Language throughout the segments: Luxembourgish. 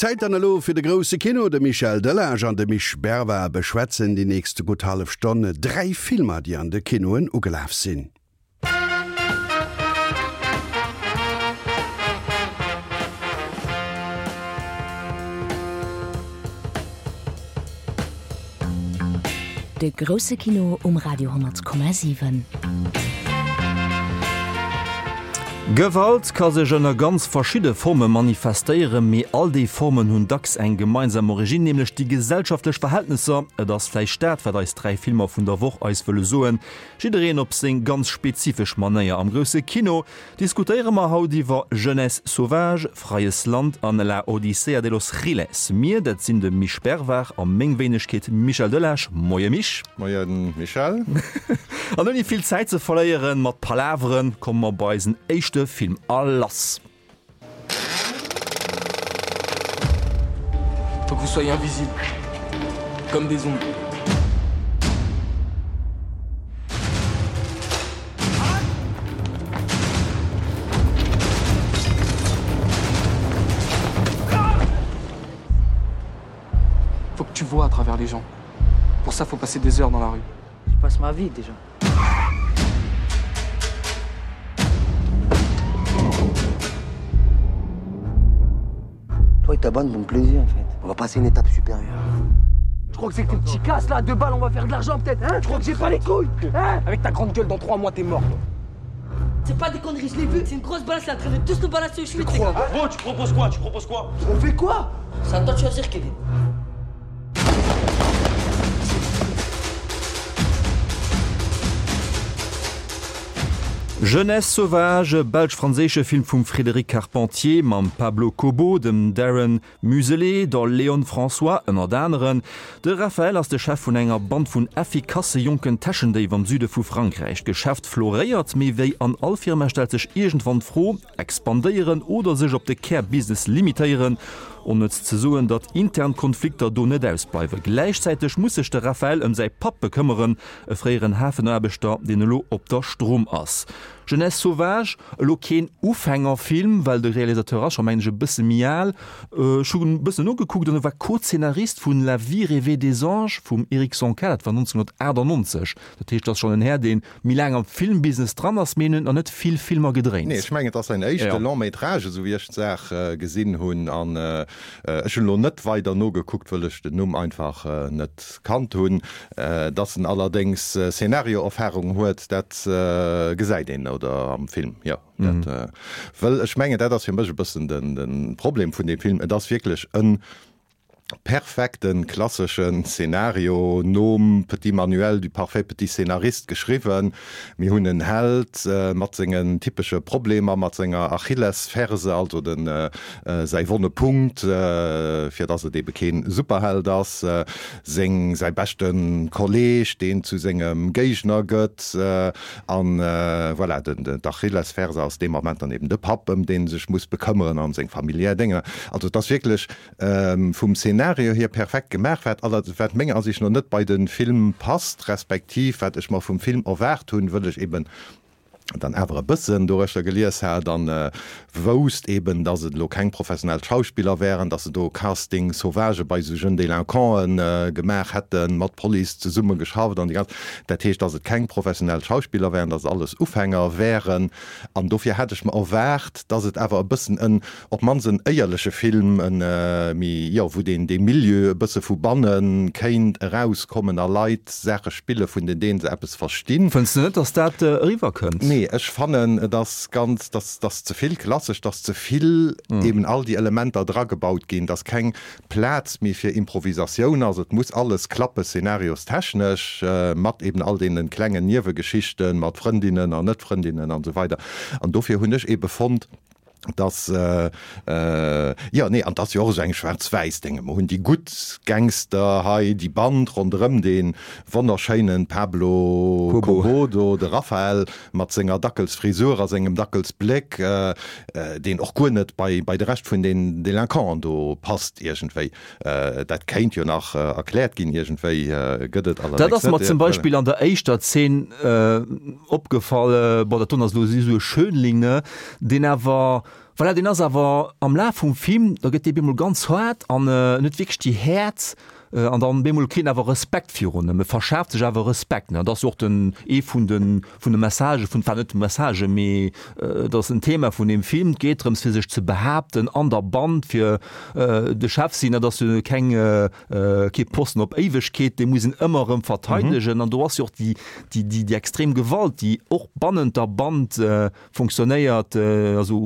Zäit dann elo fir de grousse Kino. De Michel Delage an de Misch Berva beschwätzen déi nächst gutt hallef Stonn 3 Filmer, déi an de Kinoen ugelaf sinn. De grousse Kino um Radio 10,7. Gewalt ka sech ënner ganz verschidde Forme manifestéieren, mee all déi Formen hunn dacks eng gemeinsam Originn, nämlech déi gesellschaftlech Verhältnesser. Et ass vläicht dat, wat eis 3 Filmer vun der Woch eis wëlle soen, jiddereen op seng ganz spezifesch Manéier. Am grousse Kino Diskutéiere mer haut iwwer Jeunesse sauvage, Freies Land an La Odisea de los Giles. Mir, dat sinn de Misch Bervard a meng Wéinegkeet Michel Delage. Moie Misch. Moie Michel. An ouni vill Zäit ze verléieren mat Palaveren, komme mer bei eisen éischte Film a lass. Faut que vous soyez invisible, comme des ombres. Faut que tu vois à travers les gens. Pour ça, faut passer des heures dans la rue. Je passe ma vie déjà. Toi et ta bande vont me plaisir en fait. On va passer une étape supérieure. Tu crois que c'est que tes petits casses là, deux balles, on va faire de l'argent peut-être, hein Tu crois que j'ai pas les couilles hein Avec ta grande gueule, dans trois mois, t'es mort. C'est pas des conneries, je l'ai vu, c'est une grosse balle, c'est en train de tous nous balancer au schmitt, les gars. Bon, tu proposes quoi Tu proposes quoi On fait quoi C'est à toi de choisir, Kevin. Jeunesse sauvage, belsch-franséische Film vum Frédéric Carpentier mam Pablo Cobo, dem Darren Muselet, der Léone François ënnert aneren. De Raphaël ass de Chef vun enger Band vun effikasse jonken Täschendéif am Süde vu Frankräich. D'Geschäft floréiert, mee wéi an all Firma stellt sech iergendwann d'Fro, Expandéieren oder sech op de Kär-Business limitéieren? Onnëtz ze soen, datt intern Konflikter do net ausbleiwen. Gläichzäiteg muss sech de Raphaël ëm säi Papp bekëmmeren, e fréieren Hafenaarbechter, deen elo op der Stroum ass. Jeunesse sauvage, elo keen Ufängerfilm, well de Realisateur ass scho, mengen ech, e bësse méi al. Ech hunn e bëssen nogekuckt an e war Co-Zeenarist vun La vie rêvée des anges vum Eric Zonca, dat war 1998. Dat heescht, dat ass schonn en Här, deen méi laang am Filmbusiness dran ass, mee en huet nach net vill Filmer gedréint. Nee, ech mengen et ass säin éischte Long métrage, esou wéi ech d'Saach gesinn hunn. An ech hunn elo net weider nogekuckt, wëll ech den Numm einfach net kannt hunn. Dass en allerdéngs Szenario-Erfahrung huet, dat gesäit een oder am Film, jo. Dat, wëll ech mengen, dat ass fir mech e bëssen de Problem vun deem Film, et ass wierklech en perfekten klasseschen Szenario nom Petit Manuel du parfait petit scénariste geschriwwen. Mir hunn en Held mat sengen typesche Problemer, mat senger Achillesferse, also den säi wonne Punkt, fir dass et ebe keen Superheld ass, seng säi beschte Kolleg, deen zu sengem Géigner gëtt an voilà, den d'Achillesferse ass dee Moment dann eben de Papp, ëm deen e sech muss bekëmmeren an seng familiär Dénger. Also et ass wierklech Vum Szenario hier perfekt gemaach, wat allerdings, wat menger Ansicht no net bei den Film passt, respektiv wat ech mer vum Film erwaart hunn, wëll ech eben dann awer e bëssen doruechter gelies hat an wousst eben, dass et elo keng professionell Schauspiller wären, dass se do Casting sauvage bei esou jeunes délinquanten gemaach hätten, mat Police zesumme geschafft an déi ganz, dat heescht, dass et keng professionell Schauspiller wären, dass et alles Ufänger wären an dofir hat ech mer erwaart, dass et awer e bëssen en Op d'mannst en éierleche Film, en méi, jo, wou deen dee Milieu e bësse vu banne kéint erauskommen a Leit Saache spille vun den deenen se eppes verstinn. Fënns de net, dass dat eriwwer kënnt? Nee, ech fannen et ass ganz, dass dass ze vill klassesch, dass ze vill eben all déi Elementer dragebaut ginn, dass keng Plaz méi fir Improvisatioun ass. Et muss alles klappe szenariostechnesch, mat eben all deene klengen Niewegeschichten, mat Frëndinnen an Net-Frëndinnen an esou weider. An dofir hunn ech ebe fonnt, dass, jo, nee, an 't ass jo och esou eng Schwaarz-Wäiss-Dénge. Mer hunn déi gutt Gangster hei, déi Band ronderëm dee wonnerschéinen Pablo Cobo do, de Raphael mat senger Dackelsfrisur a sengem Dackelsbléck, deen och guer net bei de Rescht vun den Délinquanten do passt iergendwéi. Dat kéint jo nach erkläert ginn iergendwéi, gëtt et allerdéngs net. Dat ass mer zum Beispill an der éischter Zeen opgefall, bon, dat doen ass elo esou e Schönling, ne, deen awer, Voilà, deen ass awer am Laf vum Film, da gëtt dee bemol ganz haart an en huet wierklech déi Häert an dann bemol kritt en awer Respekt virun em, e verschaaft sech awer Respekt, ne. Dat ass jo och den, ee vun de, vun de Messagë vun, enfin net de Messagen, mee et ass en Thema vun deem Film, et geet drëms fir sech ze behaapten an der Band, fir de Chef sinn, dat ass jo keng, kee Posten op Éiwegkeet, dee muss een ëmmer erëm verteidegen an do ass jo och déi, déi, déi extrem Gewalt, déi och bannent der Band fonctionnéiert, also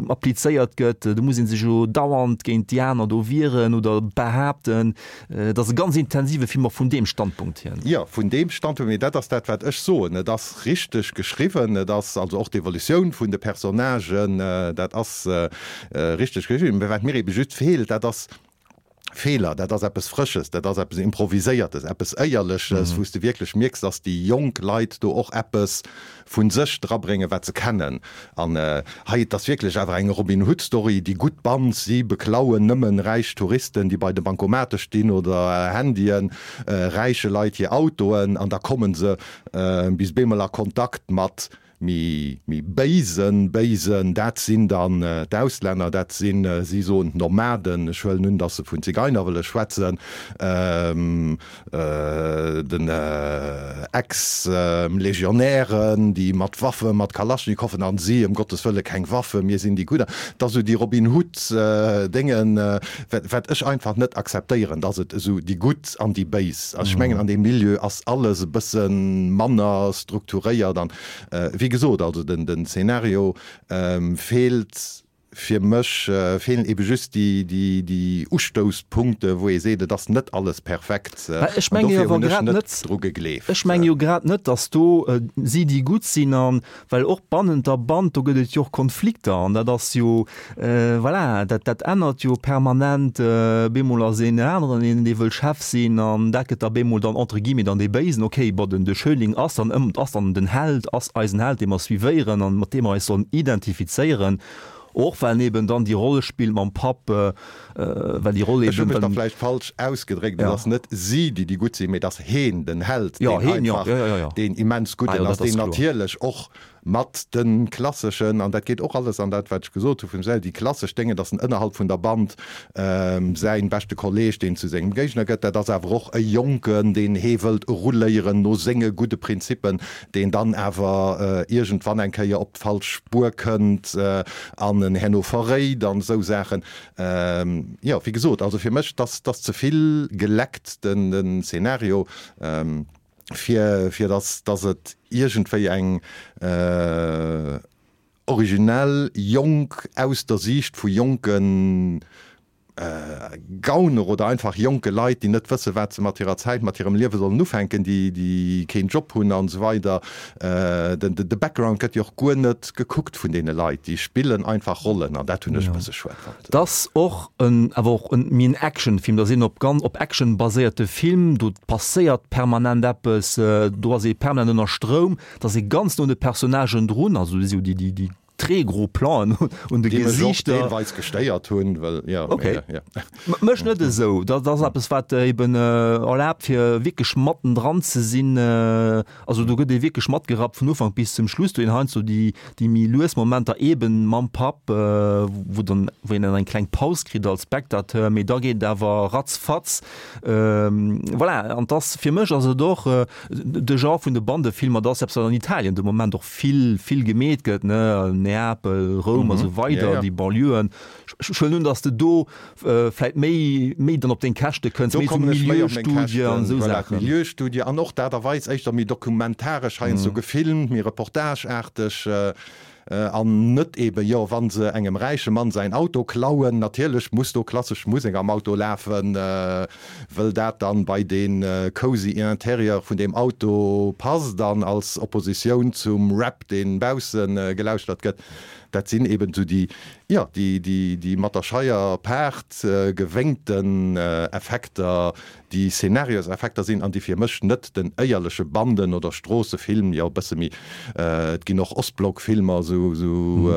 applizéiert gëtt, do muss ee sech jo dauernd géint déi aner do wieren oder behaapten. Et ass e ganz intensive Film och vun deem Standpunkt hier. Jo, vun deem Standpunkt, mee dat ass dat, wat ech soen. Et ass richteg geschriwwen, et ass also och d'Evolutioun vun de Personnagen, dat ass richteg geschriwwen. Mä wat mir ebe just feelt, dat ass Feeler, dat ass eppes Frësches, dat ass eppes Improviséiertes, eppes Éierleches, wou s de wierklech mierks, dass déi jonk Leit do och eppes vu sech drabréngen, wat se kennen. An hei, et ass wierklech awer eng Robin Hood-Story, déi gutt Band, si beklauen nëmmen räich Touristen, déi bei de Bankomate stinn oder Handyen, räiche Leit hir Autoen, an da komme se bis bemol a Kontakt mat Méi béisen Béisen, dat sinn dann d'Auslänner, dat sinn, si soen d'Nomaden, ech huelen un, datt se vun Zigeiner wëlle schwätzen, den Ex-Legionären, déi mat Waffe, mat Kalaschnikoffen, an si, ëm Gottes Wëlle keng Waffe, mir sinn déi Gudder. Dat ass esou déi Robin Hood-Déngen, wat ech einfach net akzeptéieren, datt et esou déi Gutt an déi Béis. Also ech mengen, an deem Milieu ass alles e bësse manner strukturéiert an, wéi gesot, also den den Szenario feelt fir mech, feelen ebe just déi déi déi Ustousspunkte wou ee seet, et ass net alles perfekt. Ech An menge jo dofir awer hunn ech grad net net, dru gegleeft. ech menge jo grad net, datt do si déi Gutt sinn an Well och bannent der Band, do gëtt et jo och Konflikter an dat ass jo, voilà, dat, dat ännert jo permanent. Bemol ass een aneren een, dee wëll Chef sinn an dat gëtt da bemol dann entre guillemets dann dee Béisen. Okay, bon, den, de Schönling ass dann ëm, ass dann den Held, ass eisen Held, dee mer suivéieren an mat deem mer eis sollen identifizéieren. Och well en eben dann déi Roll spillt mam Papp, well déi Roll Ech hu eben mech da dann. vläicht falsch ausgedréckt, et Ja. ass net si, déi déi Gutt sinn, mee et ass heen, den Held, Ja, deen heen, jo, einfach jo, jo, jo. deen immens Ah Gudden jo, ass, dat ass deen kloer. natierlech och mat de klasseschen, an dat geet och alles an dat, wat ech gesot hu vum Sel, déi klassesch Déngen, dass en ënnerhalb vun der Band säin beschte Kolleg, deen zu sengem Géigner gëtt, dat ass awer och e Jonken, deen hee wëllt eruléieren no senge gudde Prinzippen, deen dann awer iergendwann eng Kéier op d'falsch Spuer kënnt an en herno verréit an esou Saachen. Jo, wéi gesot, also fir mech, dass dass ze vill geleckt den den Szenario, fir fir dass dass et iergendwéi eng originell, jonk, aus der Siicht vu jonken Gauner oder einfach jonke Leit, déi net wësse wat se mat hirer Zäit, mat hirem Liewe sollen ufänken, déi déi keen Job hunn an esou weider. Den de Background gëtt jo och guer net gekuckt vun deene Leit, déi spillen einfach Rollen an dat hunn ech e bësse schued fonnt. Et ass och en awer och en méi en Actionfilm, dat ass een op ganz op Action baséierte Film, do passéiert permanent eppes, do ass ee permanent ënner Stroum, et ass ee ganz no un de Personnagen drun, also do si jo déi déi déi Très gros Plan'en un de Déi mech och Gesichter. deelweis gestéiert hunn, well, jo, Ok. mee, jo. Mech net esou. Dat ass eppes, wat eben erlaabt, fir wierklech matten dran ze sinn. Also do gëtt ee wierklech matgerappt vun Ufank bis zum Schluss. Do een heiansdo déi, déi méi lues Momenter eben mam Papp, wou dann, wou een dann eng kleng Paus kritt als Spectateur, mee da geet et awer ratzfatz. Voilà, an 't ass, fir mech ass et och de Genre vun de Bandefilmer, dat ass eppes, wat an Italien de Moment och vill, vill gemeet gëtt, ne, Neapel, Roum a sou weider, déi Banlieuen. Ech huelen un, datt s de do vläit méi, méi dann op deng Käschte kënns, Do méi esou kommen ech méi op meng Milieustudie an Käschten, esou voilà, Saachen. Milieustudie an och d'Aart a Weis éischter méi dokumentaresch heiansdo gefilmt, méi reportageaarteg an net eben, jo, wa se engem räiche Mann säin Auto klauen, natierlech muss do klassesch Musek am Auto lafen, wëll dat dann bei dee cozy Interieur vun deem Auto passt an als Oppositioun zum Rap, deen bausse gelauschtert gëtt. Dat sinn eben esou déi, jo, déi, déi, déi mat der Scheier paart gewéngten Effekter, déi Szenarioseffekter sinn an déi fir mech net den éierleche Banden oder Stroossefilm, jo e bësse méi, et ginn och Ostblockfilmer, esou esou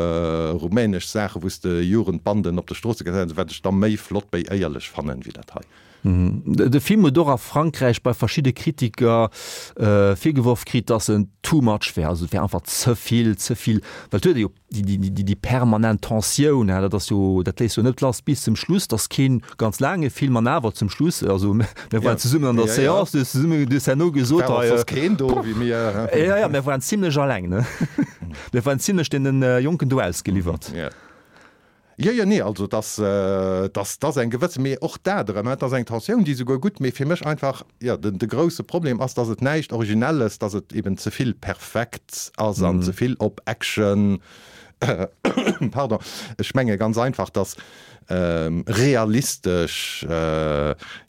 rumänesch Saachen, wou s de Jugendbanden op de Stroosse gesäis, wat ech da méi flott, méi éierlech fannen, wéi dat hei. De Film huet och a Frankräich bei verschidde Kritiker virgeworf kritt, datt en too much wär, also et wär einfach ze vill, ze vill, well et huet ee jo déi permanent Tensioun, dat ass jo, dat léisst jo net lass bis zum Schluss. Dat ass kee ganz laange Film an awer zum Schluss, also mir waren zesummen an der Seance, du hues zesummen, du hues herno gesot, hei, war soss keen do wéi mir. Jo, jo, mir waren zimlech alleng, ne? Mir waren zimlech deene Jonken do ausgeliwwert. Jo, jo, nee, also dass, dass, dass eng gewësse, mee och dat erëm, et ass eng Tensioun, déi esouguer gutt, mee fir mech einfach, jo, den, de grouse Problem ass, dass et näischt Originelles, dass et eben ze vill perfekt ass an ze vill op Action, pardon, ech menge ganz einfach, dass realistesch,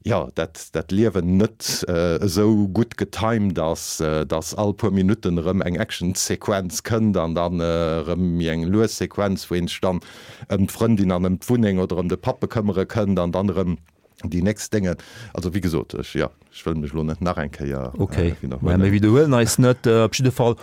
jo, dat, dat Liewen net esou gutt getimed ass, dass all puer Minutten erëm eng Actionsequenz kënnt an dann erëm méi eng lues Sequenz, wou een sech dann ëm d'Frëndin an ëm d'Wunneng oder ëm de Papp bekëmmere kënnt an dann erëm déi nächst Déngen. Also wéi gesot, ech, jo, ech wëll mech elo net nach eng Kéier widderhuelen. Ok, mir widderhuelen eis net. Op jidde Fall,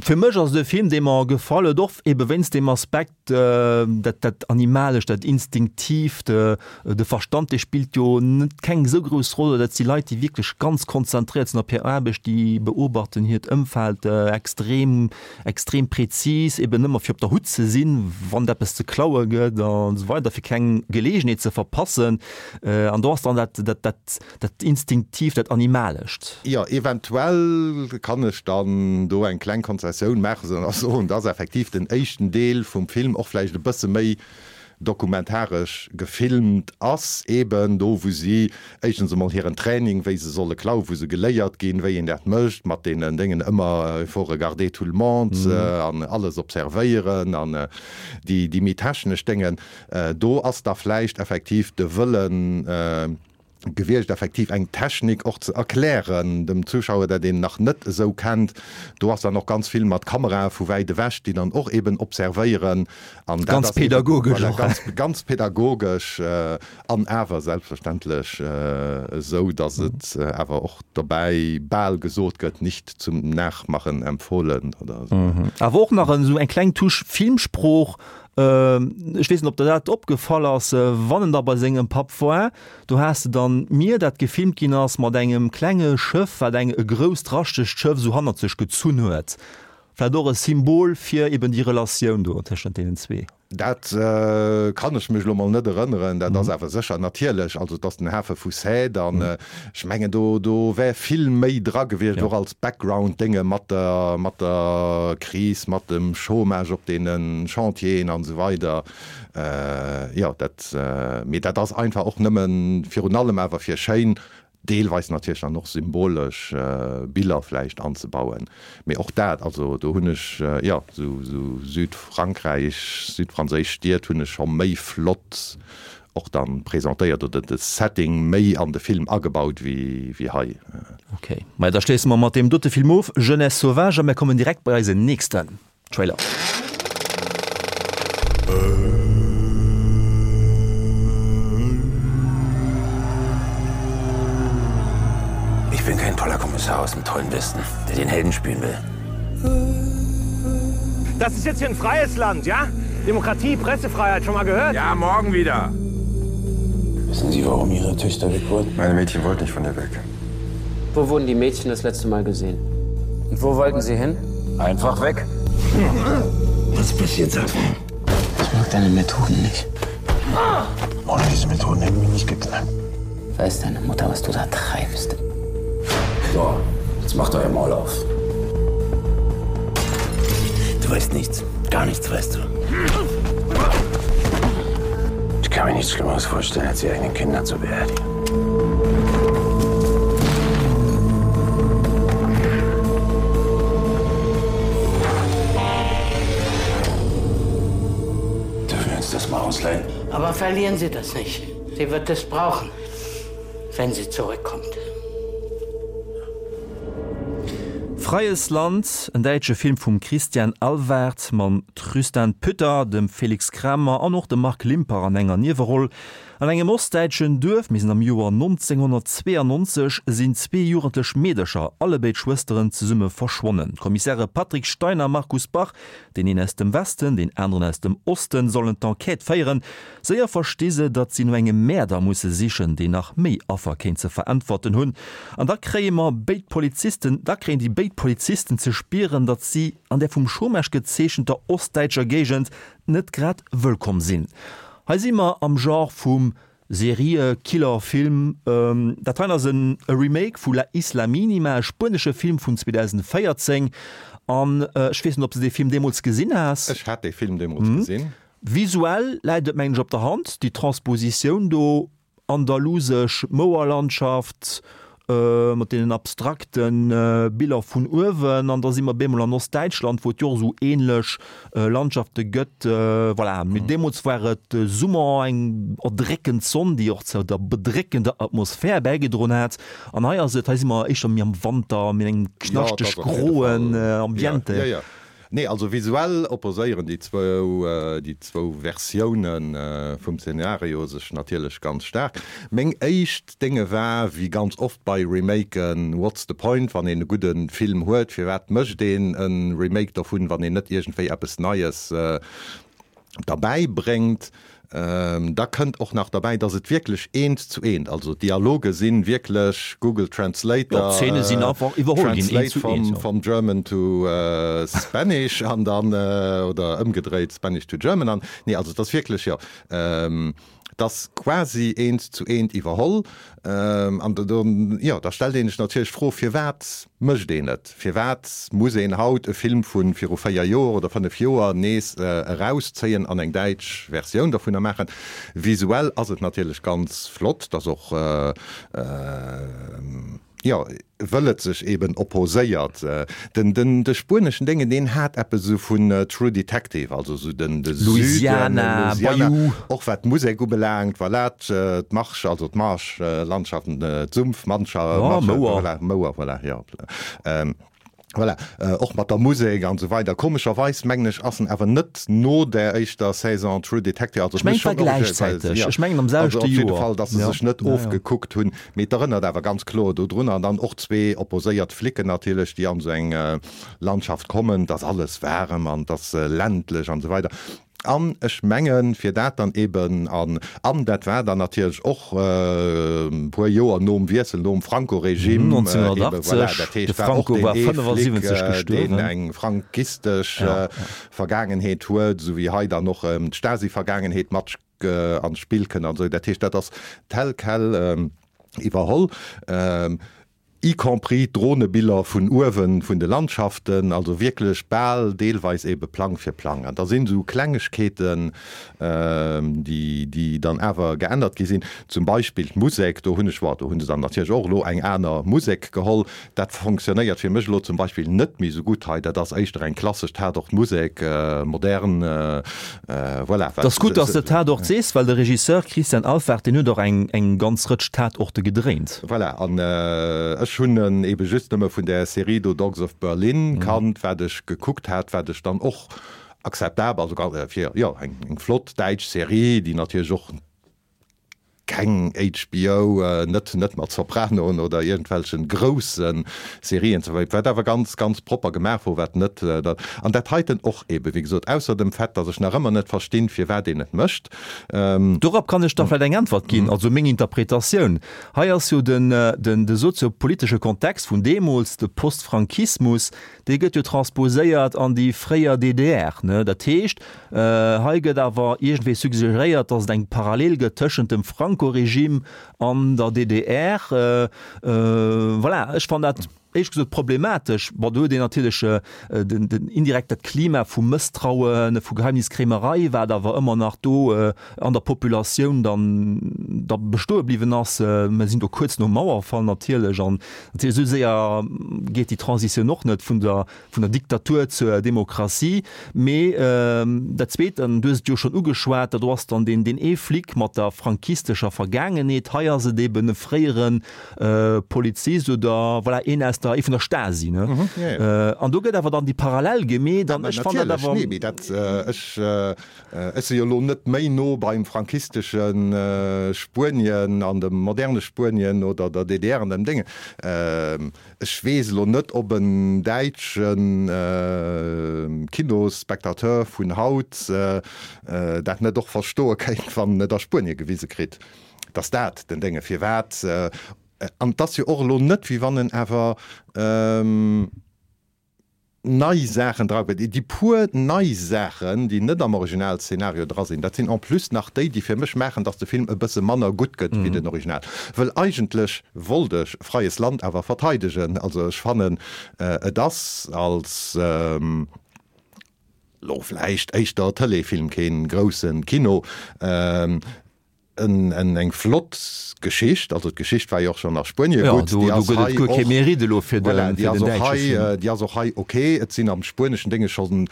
fir mech ass et e Film, dee mer gefall huet, och ebe wéinst deem Aspekt, dat, dat Animalescht, dat Instinktiivt, de Verstand, dee spillt jo net keng esou grouss Roll. Dat si Leit, déi wierklech ganz konzentréiert sinn op hir Aarbecht, déi beobachten hiert Ëmfeld extrem, extrem präzis, eben ëmmer fir op der Hutt ze sinn, wann et eppes ze klaue gëtt an esou weider, fir keng Geleegenheet ze verpassen. An do ass dann dat, dat, dat, Dat Instinktiivt, dat Animalescht. Jo, eventuell kann ech dann do eng kleng Konzessioun maachen a soen, dass effektiv den éischten Deel vum Film och vläicht e bësse méi dokumentaresch gefilmt ass, eben do wou si éischtens emol hiren Training, wéi se solle klauen, wou se geléiert ginn, wéi een dat mécht mat deenen Déngen, ëmmer il faut regarder tout le monde an alles observéieren an déi méi technesch Déngen. Do ass da vläicht effektiv de Wëllen, gewiescht effektiv eng Technik och ze erklären dem Zuschauer, dat een nach net esou kennt. Do ass dann och ganz vill mat Kamerae vu wäit ewech, déi dann och eben observéieren an dat Ganz ass eben, pädagogesch voilà, och. ganz, ganz pädagogesch an awer selbstverständlech esou, datt et awer och dobäi bal gesot gëtt, nicht zum Nachmachen empfohlen oder esou. Awer och nach esou eng kleng Touche Filmsprooch, Ech weess net, ob der dat opgefall ass, wann en da bei sengem Papp war, do has de dann d'Mier, dat gefilmt ginn ass mat engem klenge Schëff, wat eng e grousst raschtegt Schëff esou hannert sech gezunn huet. Vläicht och e Symbol fir eben déi Relatioun do tëschent deenen zwee. Dat kann ech mech elo mol net erënneren. Dat ass awer sécher natierlech, also et ass den Hafe vu Sète an ech mengen do do wär vill méi dra gewiescht, och als Background-Dénge mat der mat der Kris, mat dem Chômage op deene Chantieren an esou weider. Jo, dat, mee dat ass einfach och nëmmen, virun allem awer fir schéin, deelweis natierlech dann och symbolesch Biller vläicht anzebauen. Mee och dat, also do hunn ech, jo, esou esou Südfrankräich, südfranséisch Stied hunn ech scho méi flott och dann presentéiert oder de Setting méi an de Film agebaut wéi hei. Ok, maja da schléisse mer mat deem dote Film of, Jeunesse sauvage, a mir kommen direkt bei eisen nächsten Trailer. Ich bin kein toller Kommissar aus dem tollen Westen, der den Helden spielen will. Das ist jetzt hier ein freies Land, ja? Demokratie, Pressefreiheit, schon mal gehört? Ja, morgen wieder. Wissen Sie, warum Ihre Töchter weg wurden? Meine Mädchen wollten nicht von ihr weg. Wo wurden die Mädchen das letzte Mal gesehen? Und wo wollten sie hin? Einfach weg. Was passiert sag mir? Ich mag deine Methoden nicht. Ohne diese Methoden hätten wir nicht geknackt. Weiß deine Mutter, was du da treibst? So, jetzt macht euer Maul auf. Du weißt nichts, gar nichts weißt du. Ich kann mir nichts Schlimmeres vorstellen, als die eigenen Kinder zu beerdigen. Dürfen wir uns das mal ausleihen? Aber verlieren Sie das nicht. Sie wird es brauchen, wenn sie zurückkommt. Freies Land, en däitsche Film vum Christian Alvart mam Trystan Pütter, dem Felix Kramer an och dem Marc Limpach an enger Nieweroll. An engem ostdäitschen Duerf, mir sinn am Joer 1992, sinn zwee jugendlech Meedercher, allebéid Schwësteren, zesumme verschwonnen. D'Kommissäre Patrick Stein a Markus Bach, deen een aus dem Westen, deen aneren aus dem Osten, sollen d'Enquête féieren. Séier versti se, datt si no engem Mäerder musse sichen, deen nach méi Affer kéint ze veräntwerten hunn. An da kréie mer béid Polizisten, da kréien déi béid Polizisten ze spieren, datt si an där vum Chômage gezeechenter ostdäitscher Géigend net grad wëllkomm sinn. Hei si mer am Genre vum Seriekiller-Film. Dat heien ass en Remake vu La Isla Mínima, e spuenesche Film vun 2014. An ech weess net, ob s de dee Film deemools gesinn has. Ech hat dee Film deemools gesinn. Visuell läit et mengen ech op der Hand, déi Transpositioun do, andalusesch Mouerlandschaft mat deenen abstrakte Biller vun uewen, an da si mer bemol an Ostdäitschland, wou et jo och esou ähnlech Landschafte gëtt. Voilà, mee deemools war et Summer, eng erdréckend Sonn, déi och zu der bedréckender Atmosphär bäigedroen hat, an hei ass et, hei si mer éischter méi am Wanter, méi an engem knaschteg groen Ambiente. Nee, also visuell opposéieren déi zwou, déi zwou Versioune vum Szenario sech natierlech ganz staark. Meng éischt Dénge war, wéi ganz oft bei Remaken, What's the point? Wann een e gudde Film huet, firwat mécht een e Remake dovun, wann een net iergendwéi eppes Neies derbäi bréngt. Da kënnt och nach derbäi, dass et wierklech eent zu eent, also d'Dialoge si wierklech Google Translator, D'Zeene sinn einfach iwwerholl ginn, eent zu eent, translate from German to Spanish an dann, oder ëmgedréit, Spanish to German an, nee, also et ass wierklech, jo, et ass quasi eent zu eent iwwerholl. An do, jo, da stellt ee sech natierlech d'Fro, firwat mécht een et? Firwat muss een haut e Film vu viru 4 Joer oder 5 Joer nees erauszéien an eng däitsch Versioun dovunner maachen? Visuell ass et natierlech ganz flott, dass och, jo, wëll et sech eben opposéiert. Den, den, de spueneschen Déngen, deen hat eppes esou vun True Detective, also esou den, de Süden, Louisiana, Bayou. Och wat d'Musek ubelaangt, voilà, d'Marsch, also d'Marschlandschaften, d'Sumpfmannscha, Oh, Mouer. Voilà, Mouer, voilà, jo. Voilà, och mat der Musek an esou weider. Komescherweis, mengen ech, ass en awer net no där éischter Saison True Detective, also Ech mengen, et war gläichzäiteg. Ech mengen am selwechte Also op jidde Fall, datt se sech net ofgekuckt hunn. Mee et erënnert awer ganz kloer dodrun. An dann och zwee opposéiert Flicken natierlech, déi an esou eng Landschaft kommen. Et ass alles waarem an et ass ländlech an esou weider. An ech mengen, fir dat dann eben, an, an dat war dann natierlech och e puer Joer nom Wiessel, nom Franco-Regime, eben, voilà, dat heescht, war och deen ee Flic, deen eng franquistesch Vergaangenheet huet, esou wéi hei dann och d'Stasi-Vergaangenheet mat an d'Spill kënnt an esou. Dat heescht, dat ass tel quel iwwerholl. Y compris d'Dronebiller vun uewen vun de Landschaften, also wierklech bal deelweis ebe Plang fir Plang. An da sinn esou Klengegkeeten, déi, déi dann awer geännert gi sinn, zum Beispill d'Musek, do hunn ech, bon, do hu se dann natierlech och elo eng aner Musek geholl. Dat fonctionnéiert fir mech elo zum Beispill net méi esou gutt hei. Dat ass éischter eng klassesch Tatort-Musek, modern, Voilà, wat. 't ass gutt, dass de Tatort sees, well de Regisseur Christian Alvart, deen huet och eng, eng ganz Rëtsch Tatorte gedréint. Voilà, an ech hunn en ebe just nëmme vun där Serie do Dogs of Berlin kannt, wat ech gekuckt hat, wat ech dann och akzeptabel, also fir, jo, eng, eng flott däitsch Serie, déi natierlech och keng HBO, net net mat Sopranoen oder iergendwelchen groussen Serien ze vergläichen, wat awer ganz ganz propper gemaach wor, wat net dat an dat heiten och eben, wéi gesot, ausser dem Fait, dass ech nach ëmmer net verstinn, firwat een et mécht. Dorop kann ech da vläicht eng Äntwert ginn, also meng Interpretatioun. Hei ass jo den den de soziopolitesche Kontext vun deemools, de Postfrankismus, Dee gëtt jo transposéiert an déi fréier DDR, ne? Dat heescht, hei gëtt awer iergendwéi suggeréiert, datt et eng Parallel gëtt tëschent dem Franco-Regime an der DDR. Voilà, ech fannen dat éierlech gesot problematesch. Bon, do huet een natierlech den, den indirekt dat Klima vu Mësstrauen, vu Geheimniskrämerei, wat awer ëmmer nach do an der Populatioun dann da bestoe bliwwen ass. Mer sinn do kuerz nom Mauerfall natierlech an natierlech esou séier geet déi Transitioun och net vun der vun der Diktatur zur Demokratie. Mee dat Zweet, an du hues et jo schonn ugeschwat, dat do ass dann deen deen ee Flic mat der frankistescher Vergaangenheet. Hei ass et eben e fréiere Polizist oder voilà een aus der. der, ee vun der Stasi, ne? An do gëtt awer dann déi Parallel gemeet an ech fannen dat awer. Natierlech, nee, mee dat, ech, ech si jo elo net méi no beim frankistesche Spuenien an dem moderne Spuenien oder der DDR an dem Déngen. Ech weess elo net, ob en däitsche Kinosspectateur vun haut dat net och verstoe kéint, wann en et a Spuenie gewise kritt, dass dat den Dénge firwat. An et ass jo och elo net, wéi wann en awer nei Saachen dra huet. Déi puer nei Saachen, déi net am Originalszenario dra sinn, dat sinn en plus nach déi, déi fir mech maachen, datt de Film e bësse manner gutt gëtt wéi den Original. Wëll eigentlech wollt ech Freies Land awer verteidegen. Also ech fannen, et ass als elo vläicht éischter Tëleefilm, kee grousse Kino, Eng flott Geschicht, also d'Geschicht war jo och schonn a Spuenie gutt, déi ass hei och, voilà, déi ass och hei, déi ass och hei ok. Et sinn am spueneschen Dénge schonn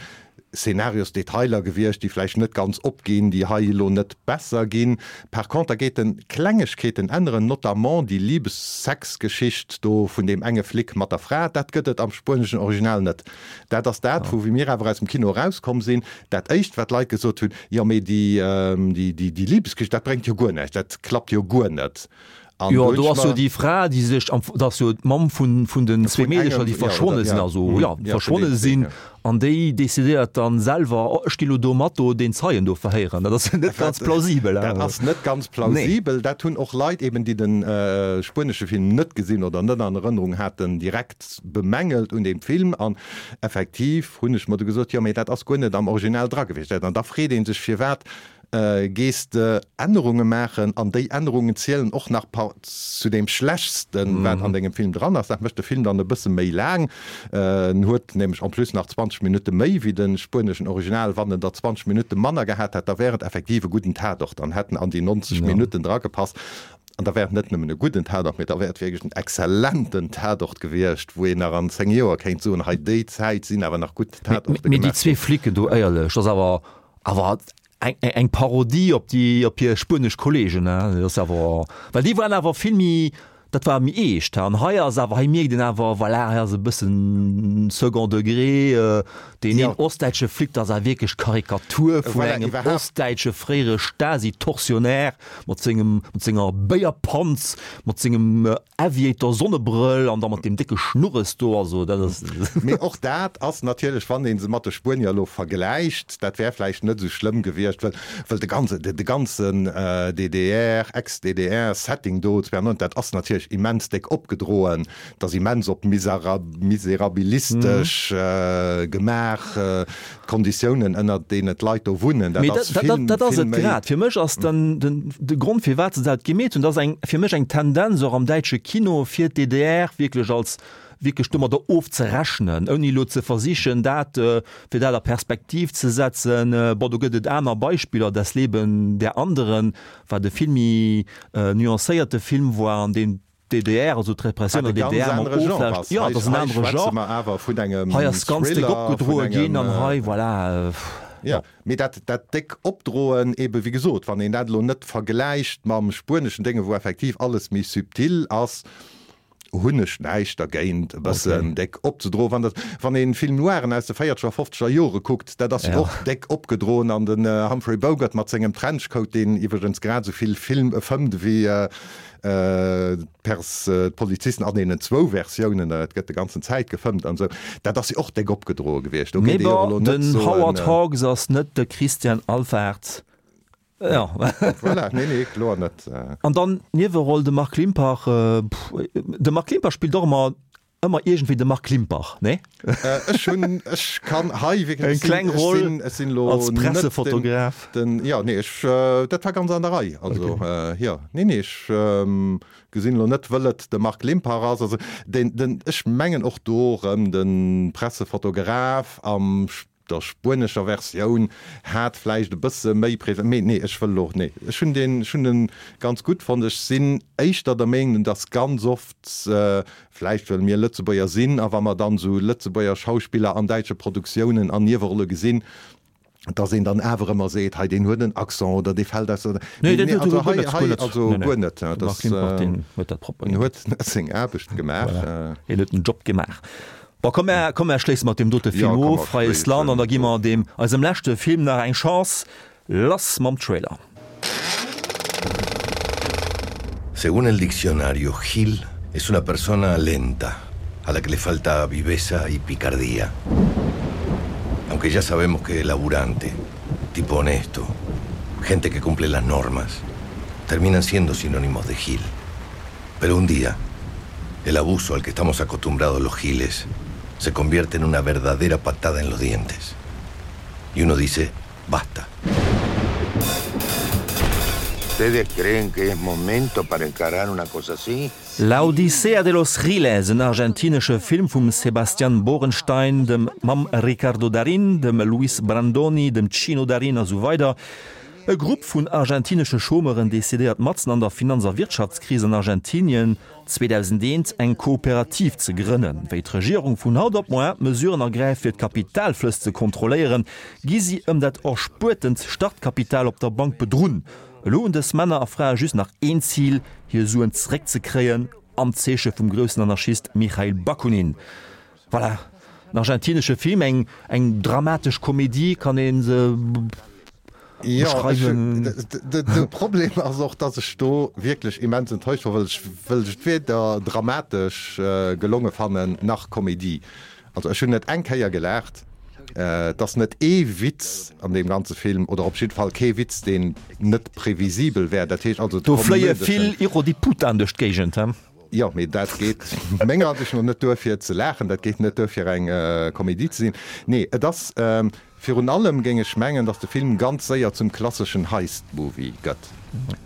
Szenariosdetailer gewiescht, déi vläicht net ganz opginn, déi hei elo net besser ginn. Par conter geet en Klengegkeeten änneren, notamment déi Liebes-Sex-Geschicht do vun deem enge Flic mat der Fra, dat gëtt et am spueneschen Original net. Dat ass dat, wou wéi mir awer aus dem Kino erauskomm sinn, dat éischt wat d'Leit gesot hunn, Jo, mee déi, déi Liebesgeschicht, dat bréngt jo guer näischt, dat klappt jo guer net. An jo, do ass jo déi Fra, déi sech am, dat ass jo d'Mamm vun, vun den zwee Meedercher, déi verschwonne sinn, also jo, verschwonne sinn, an déi decidéiert dann selwer, oh, ech ginn elo do mat do deen Zeien do verhéieren. Dat ass jo net ganz plausibel. Dat ass net ganz plausibel. Dat hunn och Leit eben, déi de spuenesche Film net gesinn oder net an Erënnerung haten, direkt bemängelt un deem Film an effektiv hunn ech mer du gesot, jo mee dat ass guer net am Original dra gewiescht. An da freet ee sech, firwat gees de Ännerunge maachen an déi Ännerungen zielen och nach par zu deem Schlechtsten, wat an dengem Film dran ass. Dat mécht de Film dann e bësse méi laang. En huet nämlech en plus nach 20 Minutte méi wéi de spueneschen Original. Wann en der 20 Minutte manner gehat hätt, da wär et effektiv e gudden Tatort, dann hätten an déi 90 Minutten dragepasst. An da wär et net nëmmen e gudden Tatort, mee da wär et wierklech en exzellenten Tatort gewiescht, wou een nach an 10 Joer kéint soen, hei déi Zäit sinn awer nach gutt Tatorte gemaach ginn. Mee déi zwee Flicken do, éierlech, dat ass awer awer eng eng Parodie op déi op hir spuenesch Kollegen, hein. Dat ass awer, well déi waren awer vill méi, dat war méi eescht, hein. An hei ass awer, hei mierkt een awer, voilà, hei ass e bëssen second degré. Deen een ostdäitsche Flic, dat ass awer wierklech d'Karikatur vun engem ostdäitsche fréiere Stasi-Tortionnaire. Mat sengem, mat senger Béierpanz, mat sengem Aviator-Sonnebrëll an da mat deem décke Schnurres do, also dat ass. Mee och dat ass natierlech, wann ee se mat de Spuenier elo vergläicht, dat wär vläicht net esou schlëmm gewiescht, well, well de ganze, de ganzen DDR, Ex-DDR-Setting do 92, dat ass natierlech immens déck opgedroen, dat ass immens op miserabilistesch gemaach. D'Konditiounen, ënnert deenen d'Leit do wunnen, dat ass vill, vill méi. Dat ass et grad. Fir mech ass den, den, de Grond, firwat se dat gemeet hunn, dat ass eng, fir mech eng Tendenz och am däitsche Kino, fir d'DDR wierklech als, wierklech domadder ofzerechnen, ouni elo ze versichen, dat, fir dat a Perspektiv ze setzen. Bon, do gëtt et aner Beispiller, Das Leben der Anderen, wat e vill méi nuancéierte Film war, an deem D'DDR, also d'Repressioun an der DDR mam Oflaascht, jo, dat ass en anere Genre. Hei ass ganz déck opgedroe ginn an hei, voilà. Jo, mee dat, dat déck Opdroen, ebe wéi gesot, wann een dat elo net vergläicht mam spueneschen Dénge, wou effektiv alles méi subtil ass, hunn ech näischt dergéint, e bëssen déck opzedroen. Wann dat, wann een Film noiren aus de véierzeger, fofzeger Jore kuckt, dat ass jo och déck opgedroen an den Humphrey Bogart mat sengem Trenchcoat, deen iwwregens grad esou vill Film fëmmt ewéi D'Pers, d'Polizisten an deenen zwou Versiounen, et gëtt de ganzen Zäit gefëmmt an esou, dat ass jo och déck opgedroe gewiescht. Do geet ee jo och elo net soen. Den Howard Hawks ass net de Christian Alvart. Jo. Voilà, nee, nee, kloer net. An dann d'Nieweroll, de Marc Limpach. De Marc Limpach spillt och ëmmer Ëmmer iergendwéi de Marc Limpach, nee? Ech hunn, ech kann hei wierklech, eng kleng Roll ech sinn elo als Pressefotograf. Den, jo, nee, ech, dat war ganz an der Rei, also jo, nee, nee, ech gesinn elo net, wëll et de Marc Limpach ass, also den, den, ech mengen och do erëm de Pressefotograf am der spuenescher Versioun hat vläicht e bësse méi Präsenz, mee nee, ech wëll elo, nee, ech hunn deen, ech hunn en ganz gutt fonnt. Ech sinn éischter der Meenung, dass ganz oft, vläicht well mir Lëtzebuerger sinn a wa mer dann esou Lëtzebuerger Schauspiller an däitsche Produktiounen an Niewerolle gesinn, Dass een dann awer ëmmer seet, hei deen huet en Accent oder dee fält aus der. Nee, dat huet also guer hei, net, hei guer net. also Nee, nee. guer net. De Dat Marc Limpach, deen huet dat propper en gemaach. huet seng Aarbecht gemaach. Voilà, hien huet den Job gemaach. Bon, komm mär, komm mär schléisse mat deem dote Jo, Film komm of, mer Freies Land, an da schléissen gi mer of. deem, eisem leschte Film nach eng Chance. Lass mam Trailer. Según el diccionario, Gil es una persona lenta, a la que le falta viveza y picardía. Aunque ya sabemos que laburante, tipo honesto, gente que cumple las normas, terminan siendo sinónimos de Gil. Pero un día, el abuso al que estamos acostumbrados los giles se convierte en una verdadera patada en los dientes. Y uno dice, basta. ¿Ustedes creen que es momento para encarar una cosa así? La Odisea de los Giles, en argentinesche Film vum Sebastián Borenstein, dem mam Ricardo Darín, dem Luis Brandoni, dem Chino Darín a sou weider. E Grupp vun argentinesche Chômeuren decidéiert matzen an der Finanz a Wirtschaftskris an Argentinien 2001 eng Kooperativ ze grënnen. Wéi d'Regierung vun haut op moar Mesuren ergräift fir d'Kapitalflëss ze kontrolléieren, gi si ëm dat erspuertent Startkapital op der Bank bedrunn. Elo hunn dës Männer a Frae just nach een Zil, hir Suen zeréckzekréien, am Zeeche vum groussen Anarchist Michail Bakunin. Voilà, en argentinesche Film, eng eng dramatesch Komedie kann ee se beschreiwen. Jo, de Problem ass och, dass ech do wierklech immens enttäuscht war, well ech well ech et weder dramatesch gelonge fannen, nach Komedie. Also ech hunn net eng Kéier gelaacht. Et ass net ee Witz an deem ganze Film, oder op jidde Fall kee Witz, deen net previsibel wär. Dat heescht also, Do fléie vill Irodiputan duerch d'Géigend, he? Jo, mee dat geet menger Ansicht no net duer fir ze laachen, dat geet net duer fir eng Komedie ze sinn. Nee, et ass virun allem, géing ech mengen, datt de Film ganz séier zum klasseschen Heist-Movie gëtt.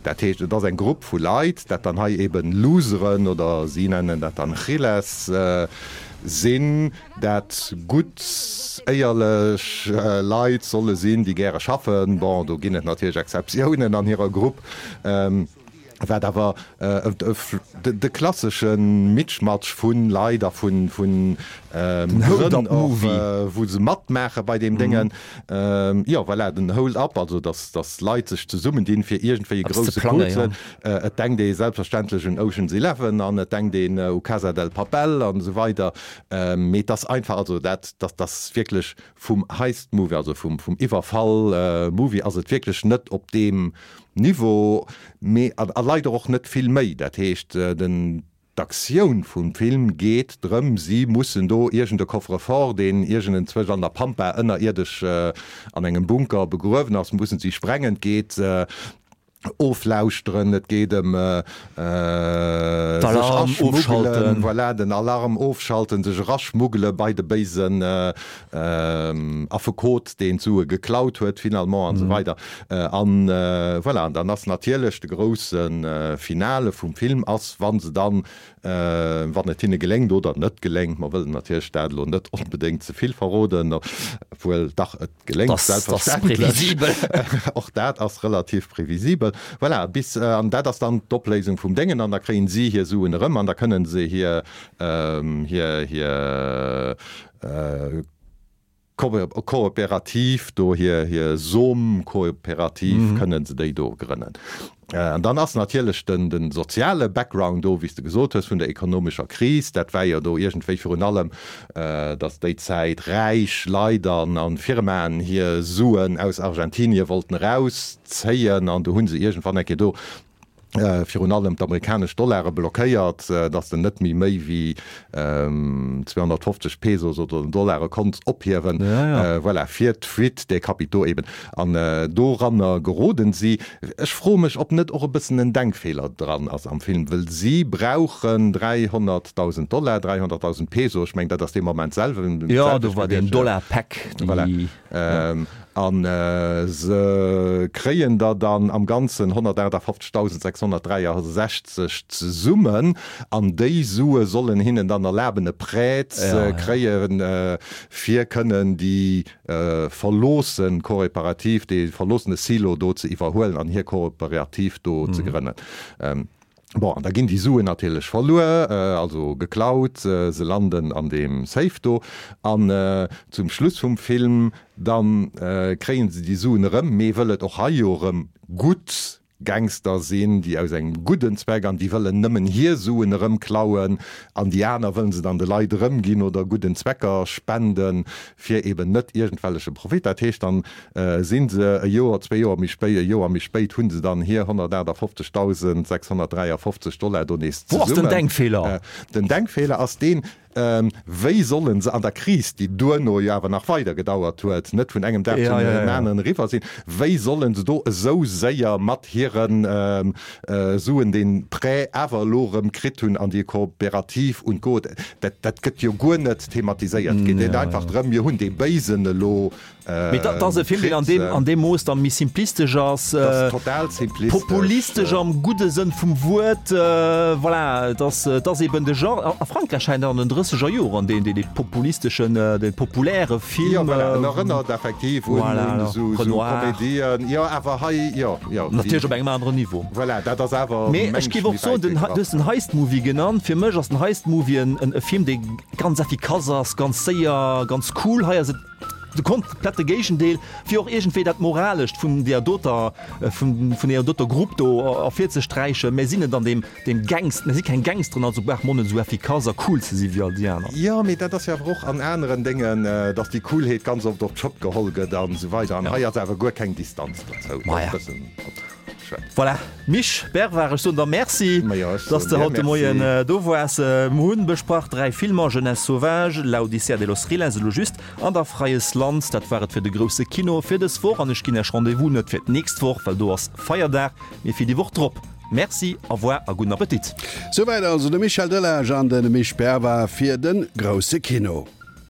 Dat heescht, et ass eng Grupp vu Leit, dat dann hei eben Loseren oder si nennen dat dann Giles sinn, dat gutt, éierlech Leit solle sinn, déi gäre schaffen. Bon, do ginn et natierlech Exceptiounen an hirer Grupp. Wat awer de klassesche Mitschmatsch vu Leit a vu Grënn och, wou se matmaache bei deem Déngen. Jo, voilà, den Hold-up, also datt Leit sech zesummendinn, fir iergendwéi e grousse Coup ze. Et denkt ee selbstverständlech un Ocean's Eleven an et denkt een u Casa del Papel an esou weider. Mee et ass einfach, also dat ass wierklech vum Heist-Movie, also vum Iwwerfall-Movie ass et wierklech net op deem Niveau, mee a leider och net vill méi. Dat heescht, den d'Aktioun vum Film geet drëm, si mussen do iergend e Coffre-fort, deen iergendenzwousch an der Pampa ënnerierdesch an engem Bunker begruewen ass, mussen si sprengen. Et geet oflauschteren, et geet ëm sech aschmuggelen, voilà, den Alarm ofschalten, sech eraschmuggele bei de béisen Affekot, deen d'Sue geklaut huet finalement an esou weider. An voilà, an dann ass natierlech de grousse Finale vum Film ass, wa se dann, wann et hinne geléngt oder net geléngt, mer wëllen natierlech dat elo net onbedéngt ze vill verroden, obwuel dach, et geléngt selbstverständlech, och dat ass relativ previsibel, voilà, bis, an dat ass dann d'Opléisung vum Déngen an da kréien si hir Suen erëm an da kënnen se hir, hir, hir Kooperativ do, hir Som-Kooperativ, kënnen se déi do grënnen. An dann ass natierlech de soziale Background do, wéi s de gesot hues, vun der ekonomescher Kris. Dat war jo do iergendwéi virun allem, datt déi Zäit räich Leit a Firmaen hir Suen aus Argentinie wollten erauszéien. An do hu se iergendwann eng Kéier do virun allem d'amerikanesch Dollare blockéiert, datt en net méi méi wéi 250 Pesos oder Dollare konnt ophiewen, voilà, fir d'Fuite des capitaux eben. An doranner geroden si. Ech froe mech, ob net och e bëssen en Denkfeeler dran ass am Film, wëll si brauchen 300.000 Dollar, 300.000 Peso, ech mengen dat ass dee Moment selwen, Jo, do war deen Dollar-Pack, voilà. A se kréien der dann am Ganzen 158.663 zesummen. An déi Sue sollen hinnen dann erlaben, e Prêt ze kréien, fir kënnen déi verloosse Kooperativ, dee verloossene Silo do ze iwwerhuelen an hir Kooperativ do ze grënnen. Bon, an da ginn déi Suen natierlech verluer, also geklaut, se landen an deem Safe do an zum Schluss vum Film da kréie se déi Suen erëm, mee wëll et och hei jo erëm gutt Gangster sinn, déi aus engem gudden Zweck an déi wëllen nëmmen hir Suen erëm klauen an déi aner wëllen se dann de Leit erëmginn oder gudden Zwecker spenden, fir eben net iergendwelleche Profit. Dat heescht, dann si se e Joer, zwee Joer méi spéit, e Joer méi spéit hu se dann hir 158.653 Dollar do nees Wou ass den zesummen. Denkfeeler? Den Denkfeeler ass deen, Wéi solle se an der Kris, déi duerno jo awer nach weider gedauert huet, net vun engem Dag zum aneren eriwwer sinn, wéi solle se do esou séier mat hire Suen dee Prêt awer elo erëm kritt hunn an déi Kooperativ und Co. Dat, dat gëtt jo guer net thematiséiert. Et geet einfach drëm, mir hunn dee Béisen elo Mee dat ass e Film, deen an deem, an deem Mooss dann méi simplistesch ass. Dat ass total simplistesch. Populistesch am gudde Sënn vum Wuert. Voilà, et ass, et ass eben de Genre. A Frankräich scheint an den drësseger Joren deen, deen, dee populisteschen, dee populäre Film. Jo, voilà, en erënnert effektiv un, un esou, esou Komedien. Jo, awer hei, jo, jo. Natierlech op engem aneren Niveau. Voilà, dat ass awer Mee ech géif och soen, den, du hues den Heist Movie genannt. Fir mech ass den Heist Movie en, en Film, dee ganz effikass ass, ganz séier, ganz cool. Hei ass et De komplette Géigendeel, fir och iergendwéi dat Moralescht vun deer doter, vun deer doter Grupp do ervirzesträichen. Mir sinn net an deem, deem Gangst, mir si keng Gangsteren, also brauche mer och net esou effikass a cool ze si wéi all déi aner. Jo, mee dat ass jo awer och an aneren Déngen, dass déi Coolheet ganz oft op d'Schëpp geholl gëtt an esou weider. An hei ass awer guer keng Distanz dozou. Maja. Voilà, Misch Bervard, ech soen der Merci, dass de haut de Moien do woars. Mir hunn besprach 3 Filmer, Jeunesse sauvage, La Odissea de los Riles, elo just, an da Freies Land. Dat war et fir de grousse Kino fir dës Woch an ech ginn Iech Rendez-vous net fir d'nächst Woch, well do ass Feierdag, mee fir déi Woch drop. Merci, au revoir a gudden Appetit. Souwäit also de Michel Delage an de Misch Bervard fir de grousse Kino.